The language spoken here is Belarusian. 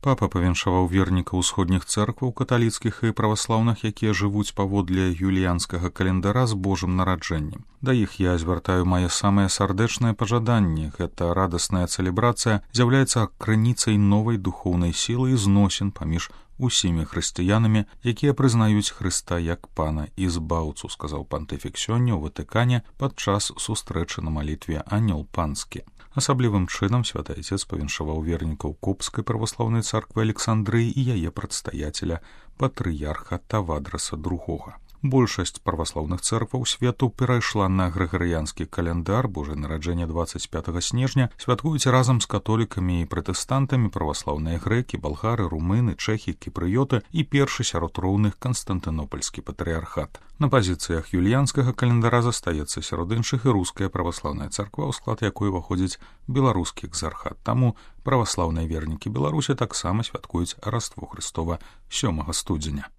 Папа павіншаваў вернікаў усходніх цэркваў каталіцкіх і праваслаўных, якія жывуць паводле юліянскага календара з Божым нараджэннем. Да іх я звяртаю мае самыя сардэчныя пажаданні. Гэта радасная цэлебрацыя з'яўляецца крыніцай новай духоўнай сілы і зносін паміж усімі хрысціянамі, якія прызнаюць Хрыста як пана і збаўцу, сказаў пантыфік сёння ў Ватыкане падчас сустрэчы на малітве «Анёл панскі». Асаблівым чынам святы Айцец павіншаваў вернікаў Копскай праваслаўнай царквы Александрыі і яе прадстаяцеля патрыярха Тавадраса II. Большасць праваслаўных цэркваў свету перайшла на грыгарыянскі календар. Божае нараджэнне 25 снежня святкуюць разам з католікамі і пратэстантамі праваслаўныя грэкі, балгары, румыны, чэхі, кіпрыёты і першы сярод роўных канстантынопальскі патрыярхат. На пазіцыях юліянскага календара застаецца сярод іншых і руская праваслаўная царква, у склад якой уваходзіць беларускі экзархат. Таму праваслаўныя вернікі Беларусі таксама святкуюць Раство Хрыстова 7 студзеня.